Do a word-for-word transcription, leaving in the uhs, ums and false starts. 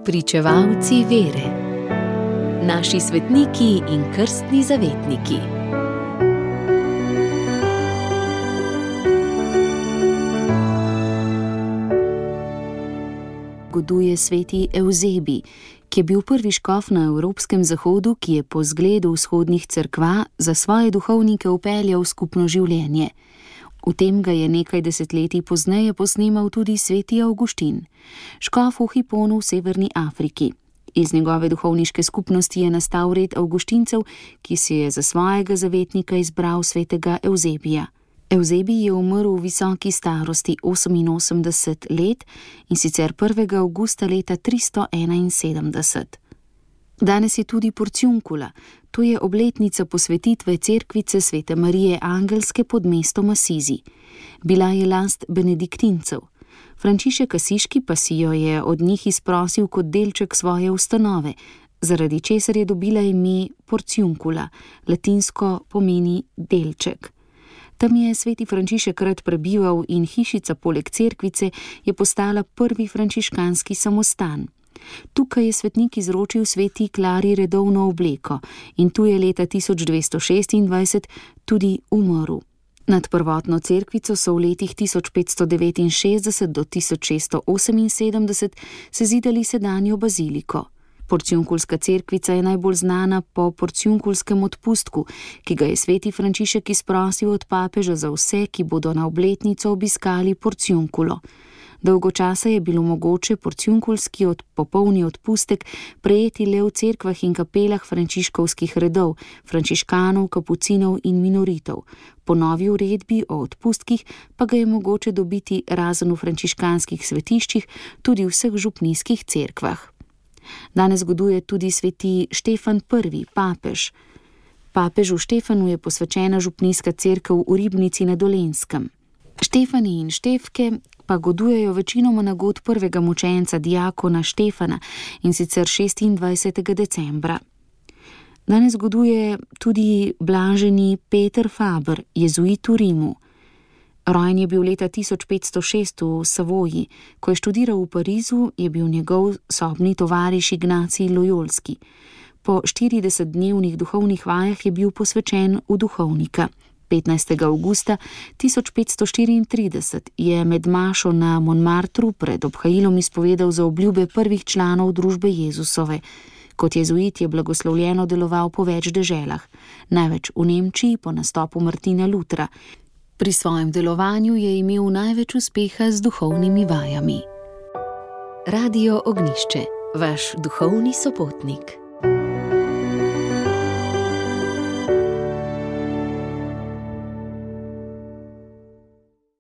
Pričevalci vere. Naši svetniki in krstni zavetniki. Goduje sveti Evzebij, ki je bil prvi škof na evropskem zahodu, ki je po zgledu vzhodnih cerkva za svoje duhovnike upeljal skupno življenje. V tem ga je nekaj desetletij pozneje posnemal tudi sveti Avguštin, škof v Hiponu v severni Afriki. Iz njegove duhovniške skupnosti je nastal red Avguštincev, ki si je za svojega zavetnika izbral svetega Evzebija. Evzebij je umrl v visoki starosti oseminosemdeset let, in sicer prvega avgusta leta tristo enainsedemdeset. Danes je tudi porciunkula, to je obletnica posvetitve cerkvice svete Marije Angelske pod mestom Asizi. Bila je last benediktincev. Frančišek Asiški pa si jo je od njih izprosil kot delček svoje ustanove, zaradi česar je dobila ime porciunkula, latinsko pomeni delček. Tam je sveti Frančišek rad prebival in hišica poleg cerkvice je postala prvi frančiškanski samostan. Tukaj je svetnik izročil sveti Klari redovno obleko in tu je leta tisoč dvesto šestindvajset tudi umrl. Nad prvotno cerkvico so v letih tisoč petsto devetinšestdeset do tisoč šeststo oseminsedemdeset sezidali sedanjo baziliko. Porciunkulska cerkvica je najbolj znana po porciunkulskem odpustku, ki ga je sveti Frančišek izprosil od papeža za vse, ki bodo na obletnico obiskali porciunkulo. Dolgo časa je bilo mogoče porciunkulski od popolni odpustek prejeti le v cerkvah in kapelah frančiškovskih redov, frančiškanov, kapucinov in minoritov. Po novi uredbi o odpustkih pa ga je mogoče dobiti razen v frančiškanskih svetiščih tudi v vseh župnijskih cerkvah. Danes goduje tudi sveti Štefan prvi, papež. Papežu Štefanu je posvečena župnijska cerkev v Ribnici na Dolenjskem. Štefani in Štefke pa godujejo večinoma na god prvega mučenca diakona Štefana, in sicer šestindvajsetega decembra. Danes goduje tudi blaženi Peter Faber, jezuit v Rimu. Rojen je bil leta tisoč petsto šest v Savoji. Ko je študiral v Parizu, je bil njegov sobni tovariš Ignacij Lojolski. Po štiridesetdnevnih duhovnih vajah je bil posvečen v duhovnika. petnajstega avgusta tisoč petsto štiriintrideset je med mašo na Montmartru pred obhajilom izpovedal za obljube prvih članov družbe Jezusove. Kot jezuit je blagoslovljeno deloval po več deželah, največ v Nemčiji po nastopu Martina Lutra. Pri svojem delovanju je imel največ uspeha z duhovnimi vajami. Radio Ognjišče, vaš duhovni sopotnik.